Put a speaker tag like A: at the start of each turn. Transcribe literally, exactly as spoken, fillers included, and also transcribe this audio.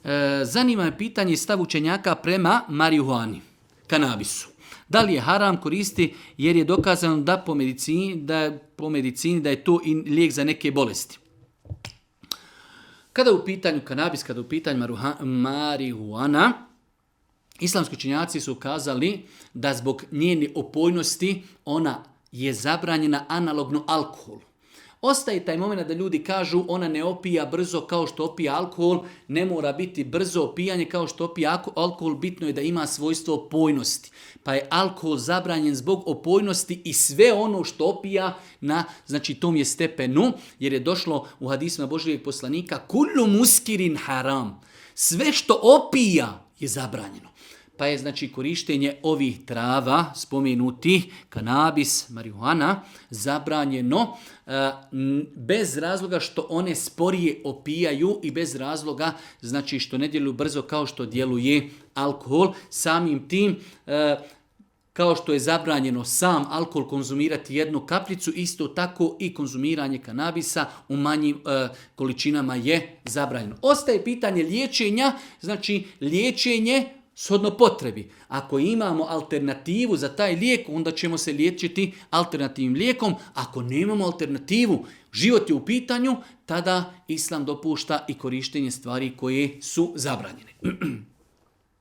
A: e, zanima me pitanje stav učenjaka prema marihuani, kanabisu. Da li je haram koristi jer je dokazano da po medicini da, po medicini da je to i lijek za neke bolesti. Kada je u pitanju kanabis, kada je u pitanju maruha, marihuana, islamski učenjaci su kazali da zbog njene opojnosti ona je zabranjena analogno alkoholu. Ostaje taj moment da ljudi kažu ona ne opija brzo kao što opija alkohol, ne mora biti brzo opijanje kao što opija alkohol, bitno je da ima svojstvo opojnosti. Pa je alkohol zabranjen zbog opojnosti i sve ono što opija na znači, tom je stepenu, jer je došlo u hadisima Božijeg poslanika kullu muskirin haram. Sve što opija je zabranjeno. Pa je znači korištenje ovih trava, spomenutih, kanabis, marihuana, zabranjeno e, bez razloga što one sporije opijaju i bez razloga znači što ne djeluju brzo kao što djeluje alkohol. Samim tim, e, kao što je zabranjeno sam alkohol konzumirati jednu kapljicu, isto tako i konzumiranje kanabisa u manjim e, količinama je zabranjeno. Ostaje pitanje liječenja, znači liječenje shodno potrebi. Ako imamo alternativu za taj lijek, onda ćemo se liječiti alternativnim lijekom. Ako nemamo alternativu, život je u pitanju, tada Islam dopušta i korištenje stvari koje su zabranjene.